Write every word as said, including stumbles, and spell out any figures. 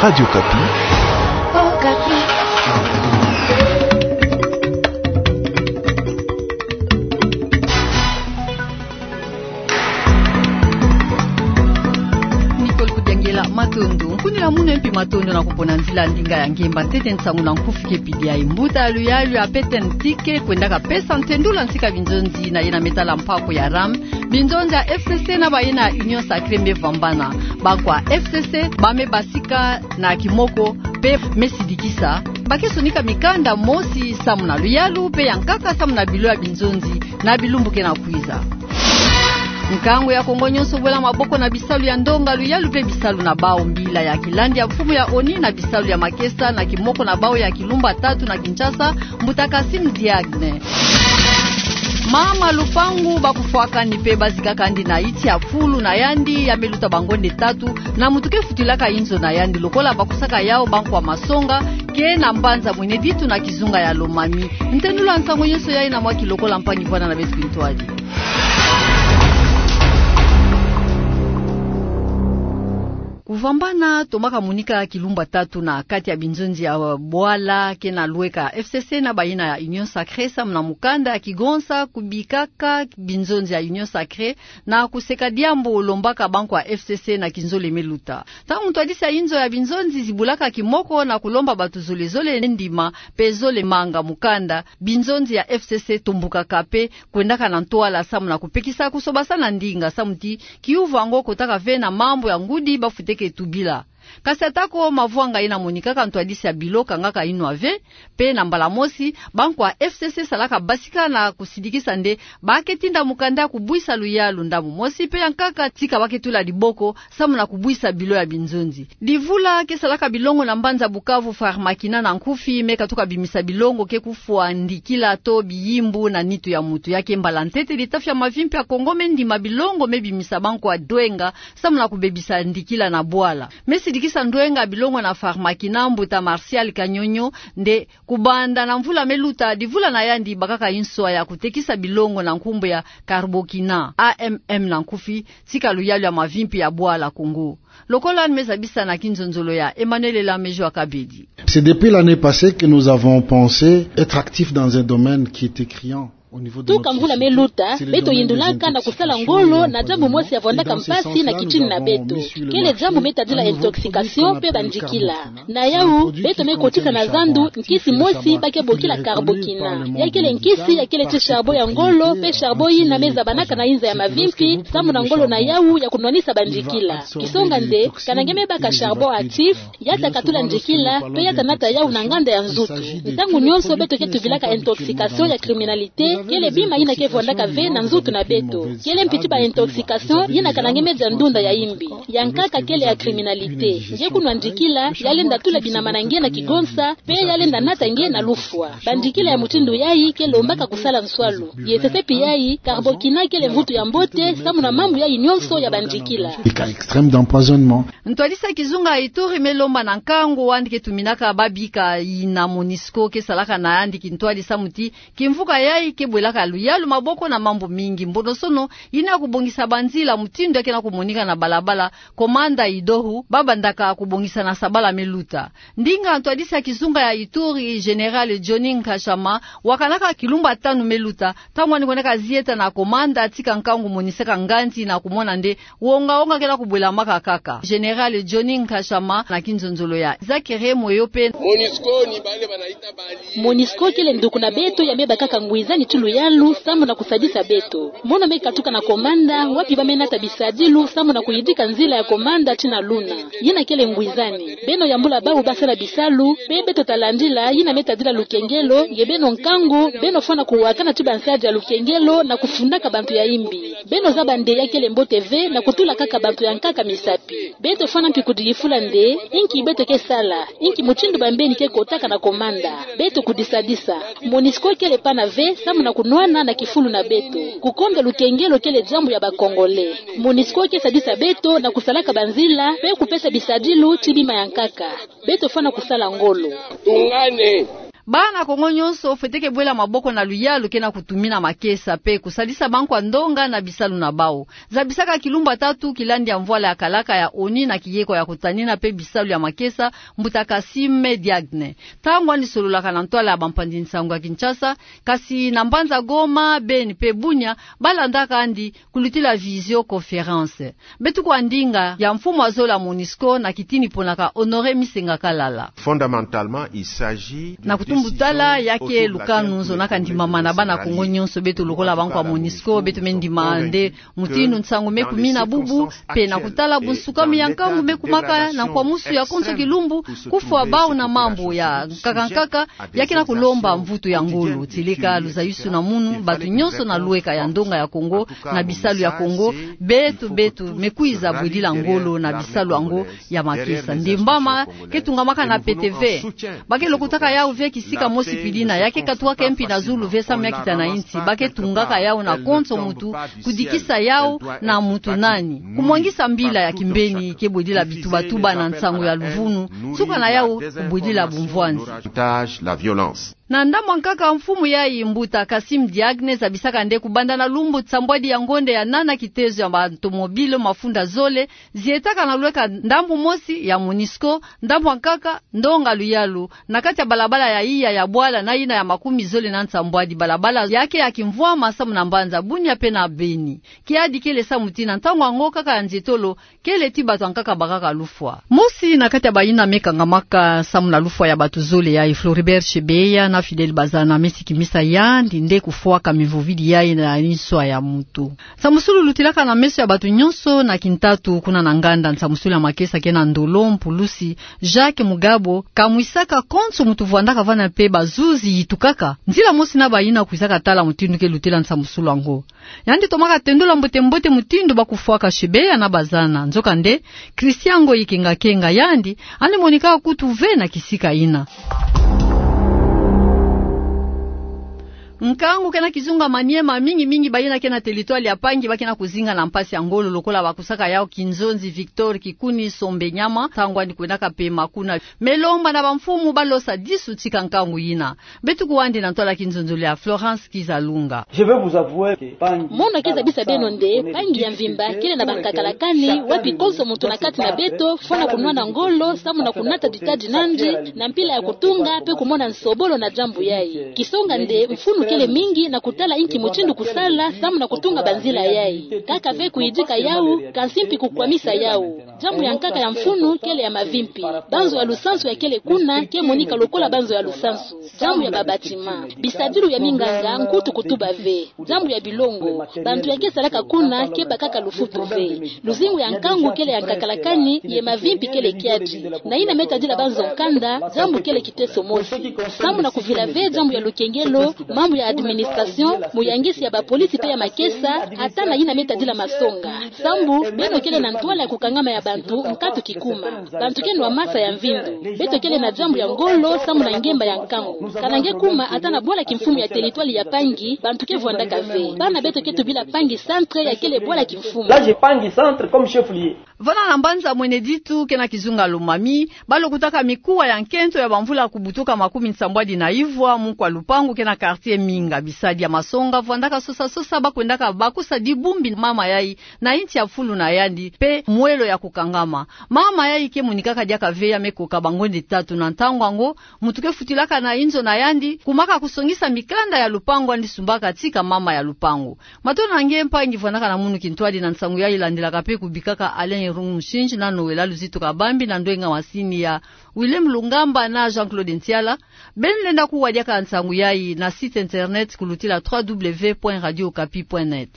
Radio Okapi. Nicole Kudiangela, matondo. Nkunila munu mpi matondo na kupona nzila ndinga ya ngemba ntete nsangu na nkufi ke pidi ya mbuta ya luyalu ya P T N T ke kwendaka pesa ntendula ntika binzonzi na yena me tala mpako ya ram. Binzonzi ya F C C na bayina ya Union Sacrée me vwambana. Bankwa F C C ba me basika na kimoko, mpe me sidikisa ba ke sonika mikanda mosi samu na luyalu mpe ya nkaka samu na bilo ya binzonzi na bilumbu ke na kwiza. Nkangu ya Kongo nyonso bwela maboko na bisalu ya ndonga, luyalu mpe bisalu na bawu. Mbila ya kilandi ya mfumu ya ONU na bisalu ya makesa na kimoko na bawu ya kilumba tatu na Kinshasa, mbuta Kassim Diagne. Mama lupangu ba kufwakani mpe ba zikakani na iti ya fulu na yandi ya me luta bangonde tatu, na muntu ke futulaka inzo na yandi lokola ba kusaka yawu bankwa masonga ke na mbanza Mwene Ditu na kizunga ya Lomami. Ntendula nsangu nyonso yayi na mwa kilokola mpangi vwana na beto kintwadi. Kuvwambana tomaka monika kilumba tatu na kati ya binzonzi ya bwala ke na lweka F C C na bayina ya Union Sacrée samu na mukanda ya kigonsa kubikaka binzonzi ya Union Sacrée na kuseka diambu lombaka bankwa F C C na kinzole me luta. Ntangu ntwadisi ya inzo ya binzonzi zibulaka kimoko na kulomba bato zole zole ndima mpe zole manga mukanda, binzonzi ya F C C tombukaka mpe kwendaka na ntwala samu na kupekisa kusobasana ndinga samu ti kiuvu yango kotaka ve na mambu ya ngudi ba futeke tubila. Kasi atako mavwanga yena monikaka, ntwadisi ya bilo kangaka yinwa ve, mpe na mbala mosi bankwa F C C salaka basika na kusidikisa nde ba ke tinda mukanda ya kubwisa luyalu ndambu mosi mpe ya nkaka tika ba ke tula diboko samu na kubwisa bilo ya binzonzi. Divula ke salaka bilongo na mbanza Bukavu, Pharmakina na nkufi, me katuka bimisa bilongo ke kufwa ndikila to biyimbu na nitu ya mutu. Ya ke mbala ntete litafi ya mavimpi ya Kongo me ndima bilongo me bimisa bankwa ndwenga samu na kubebisa ndikila na bwala. Me sidikisa ndwenga bilongo na Pharmakina, mbuta Martial Kanyonyo, nde kubanda na mvula me luta, divula na yandi bakaka nswa ya kutekisa bilongo na nkumbu ya Carbokina, A M M na nkufi, tika luyalu ya mavimpi ya bwala Kongo. Lokola me zabisa na kinzonzolo ya Emmanuel Elamejo Akabedi. C'est depuis l'année passée que nous avons pensé être actifs dans un domaine qui était criant au niveau de notre société. Tuka mvula me luta, beto yindulaka na kusala ngolo na diambu mosi ya vwandaka mpasi na kitini na beto. Kele diambu me tadila intoxication mpe bandikila. Na yawu, beto me kotisa na zandu nkisi mosi ba ke bokila Carbokina. Ya kele nkisi ya kele ti charbon ya ngolo, mpe charbon yina me zabanaka na inza ya mavimpi, samu na ngolo na yawu ya kunwanisa bandikila. Kisonga nde, kana nge me baka charbon actif, ya ta katula ndikila, mpe ya ta nata yawu na nganda ya nzutu. Ntangu nyonso beto ke tubilaka intoxication ya criminalité, kele bima yina ke vwandaka ve na nzutu na beto. Kele mpi ti ba intoxication yina kana nge me dia ndunda ya imbi. Ya nkaka kele ya criminalité. Nge kunwa ndikila, ya lenda tula binama na nge na kigonsa, mpe ya lenda nata nge na lufwa. Bandikila ya mutindu yayi ke lombaka kusala nswalu. Ye sesepi yayi, Carbokina kele mvutu ya mbote samu na mambu yayi nyonso ya bandikila. Des cas extrêmes d'empoisonnement. Ntwadisi ya kizunga ya Ituri me lomba na nkangu wandi ke tuminaka babika yina MONUSCO ke salaka na yandi kintwadi samu ti kimvuka yayi ke bwelaka luyalu maboko na mambu mingi. Mbonosono yina ya kubongisa banzila mutindu ya ke na kumonika na balabala, Komanda Idohu, ba bandaka kubongisa na sabala me luta. Ndinga ntwadisi ya kizunga ya Ituri, Général Johnny Nkashama, wakanaka kilumba tanu me luta, ntangu wani kwendaka zieta na komanda tika nkangu monisaka nganzi na kumona nde wonga-wonga ke na kubwelamaka kaka. Général Johnny Nkashama na kinzonzolo ya Zakere Moyo mpe. MONUSCO kele nduku na beto ya me bakaka ngwizani ti luyalu samu na kusadisa beto. Mono me katuka na komanda, wapi ba me nata bisadilu samu na kuyidika nzila ya komanda ti na luna. Yina kele ngwizani. Beno yambula bawu ba sala bisalu, mpe beto ta landila yina me tadila lukengelo, ye beno nkangu, beno fwana kuwakana ti bansadi ya lukengelo na kufundaka bantu ya imbi. Beno zaba nde ya kele mbote ve na kutula kaka bantu ya nkaka misapi. Beto fwana mpi kudiyifula nde, inki beto ke sala, inki mutindu bambeni ke kotaka na komanda. Beto kudisadisa. MONUSCO kele pana ve samu na kunwana na kifulu na beto. Kukonda lukengelo kele diambu ya ba Congolais. MONUSCO ke sadisa beto na kusalaka banzila, mpe kupesa bisadilu ti bima ya nkaka. Beto fwana kusala ngolo. Tungane. Bana Kongo nyonso fwete ke bwela maboko na luyalu ke na kutumina makesa pe kusadisa bankwa ndonga na bisalu na bau. Zabisaka kilumbu ya tatu kilandi ya mvwala ya kalaka ya ONU na kiyeko ya kutanina pe bisalu ya makesa, mbuta Kassim Diagne, ntango andi sololaka na ntwala ya bampanzi nsangu ya Kinshasa, kasi na mbanza Goma, Beni pe Bunia, balandaka andi kulutila visioconférence. Beto kwa ndinga ya mfumu ya zole ya MONUSCO na kitini ponaka Honoré Misenga Kalala. Fondamentalement, il s'agit d'une décision autour de laquelle plusieurs Congolais se sont ralliés. Na kutumbu tala ya ke lukanu zonaka ndimama na bana Kongo nyonso, beto lokola bankwa MONUSCO, beto me ndima nde mutindu nsangu me kumina bubu, pe na kutala bunsukami ya nkangu me kumaka na nkwamusu ya konso kilumbu, kufwa bau na mambu ya nkaka nkaka, ya ke na kulomba mvutu ya ngolo. Tieleka luzayusu na munu, bato nyonso na lweka ya ndonga ya Kongo, na bisalu ya Kongo, beto, beto me kwiza bwidila ngolo na bisalu yango ya makesa. Ndimbama ke tungamaka na pete ve. Ba ke lokotaka yau ve kisika mosi pidina, ya ke katuka mpi na zulu ve samu ya kita na insi. Ba ke tungaka yau na konso mutu, kudikisa yau na mutu nani. Kumwangisa mbila ya kimbeni ke bwidila bitubatuba na nsangu ya luvunu, suka na yau kubwidila bumvwanzi. Na ndambu ya nkaka, mfumu yayi, mbuta Kassim Diagne, zabisaka nde kubanda na lumbu nsambwadi ya ngonde ya nana, kitezo ya batomobile mafunda zole zietaka na lweka ndambu mosi ya MONUSCO, ndambu ya nkaka, ndonga luyalu, na kati ya balabala ya iya ya bwala na yina ya makumi zole na nsambwadi, balabala ya ke ya kimvwama samu na mbanza Bunia pe na Beni. Kiadi kele samu ti na ntangu yango kaka ya nzietolo, kele ti bato ya nkaka bakaka lufwa. Mosi na kati ya bayina me kangamaka samu na lufwa ya bato zole yayi, Floribert Chebeya na Fidèle Bazana, me sikimisa yandi nde kufwaka mivovidi yayi na inswa ya mutu. Nsamusulu lutilaka na meso ya bato nyonso na kintatu kuna na nganda. Nsamusulu ya makesa ke na ndolo, mpulusi Jacques Mugabo kamwisaka konso mutu vwandaka vana pe bazuzi yitukaka. Nzila mosi na bayina kwizaka tala mutindu ke lutela nsamusulu yango. Yandi tomaka tendula mbote-mbote mutindu ba kufwaka Chebeya na Bazana. Nzokande, Christian Ngoyi Kenga-Kenga, yandi andi monika kutu ve na kisika yina. Nkangu ke na kizunga Maniema, mingi-mingi bayina ke na territoire ya Pangi ba ke na kuzinga na mpasi ya ngolo, lokola bakusaka yau Kinzonzi Victor Kikuni Sombenyama, ntangu andi kwendaka pema kuna. Me lomba na bamfumu ba losa disu tika nkangu yina. Beto kwandi na ntwala ya kinzonzolo ya Florence Kizalunga. Je vais vous avouer que Pangi... Mono ke zabisa beno nde Pangi ya mvimba kele na bankakalakani, wapi konso mutu na kati na beto fwana kunwana ngolo samu na kunata ditadi nandi na mpila ya kutunga pe kumona nsobolo na diambu yayi. Kisonga nde mfunu kele mingi na kutala inki mutindu kusala samu na kutunga banzila yayi. Kaka ve kuyidika yau, kansi mpi kukwamisa yau. Diambu ya nkaka ya mfunu kele ya mavimpi. Banzo ya lusansu ya kele kuna ke monika lokola banzo ya lusansu. Diambu ya babâtiment, bisadilu ya minganga, nkutu kutuba ve. Diambu ya bilongo, bantu ya ke salaka kuna ke bakaka lufutu ve. Luzingu ya nkangu kele ya nkakalakani, ye mavimpi kele kiadi. Na yina me tadila banzo nkanda, diambu kele kiteso mosi. Samu na kuvila ve diambu ya lukengelo, mambu ya administration, muyangisi ya bapolisi pe ya makesa, ata na yina me tadila masonga. Sambu, beno kele na ntwala ya kukangama ya bantu, nkatu kikuma. Bantu ke nwa masa ya mvindu. Beto kele na diambu ya ngolo samu na ngemba ya nkangu. Kana nge kuma ata na bwala kimfumu ya territoire ya Pangi, bantu ke vwandaka ve. Bana beto ke tubila Pangi centre ya kele bwala kimfumu. Là, j'ai Pangi centre comme chef-lieu. Vana na mbanza Mwene Ditu ke na kizunga Lomami, ba lokotaka mikuwa ya nkento ya bamvula kubutuka makumi nsambwadi na ivwa, mukwa lupangu ke na quartier Minga. Bisadi ya masonga vwandaka sosa-sosa, ba kwendaka bakusa dibumbi mama yayi na inti ya fulu na yandi, pe mwelo ya kukangama. Mama yayi ke monikaka diaka ve, ya me koka bangonde tatu. Na ntangu yango, mutu ke futilaka na inzo na yandi, kumaka kusongisa mikanda ya lupangu andi sumbaka tika mama ya lupangu. Matondo na nge mpangi vwandaka na munu kintwadi na nsangu yayi. Landilaka pe kubikaka Alain Irung Mushindji na Noëlla Luzitu Kabambi na ndwenga masini ya Willem Lungamba na Jean-Claude Ntiala. Beno lenda kuwa diaka nsangu yayi na site internet kulutila trois W point radio okapi point net.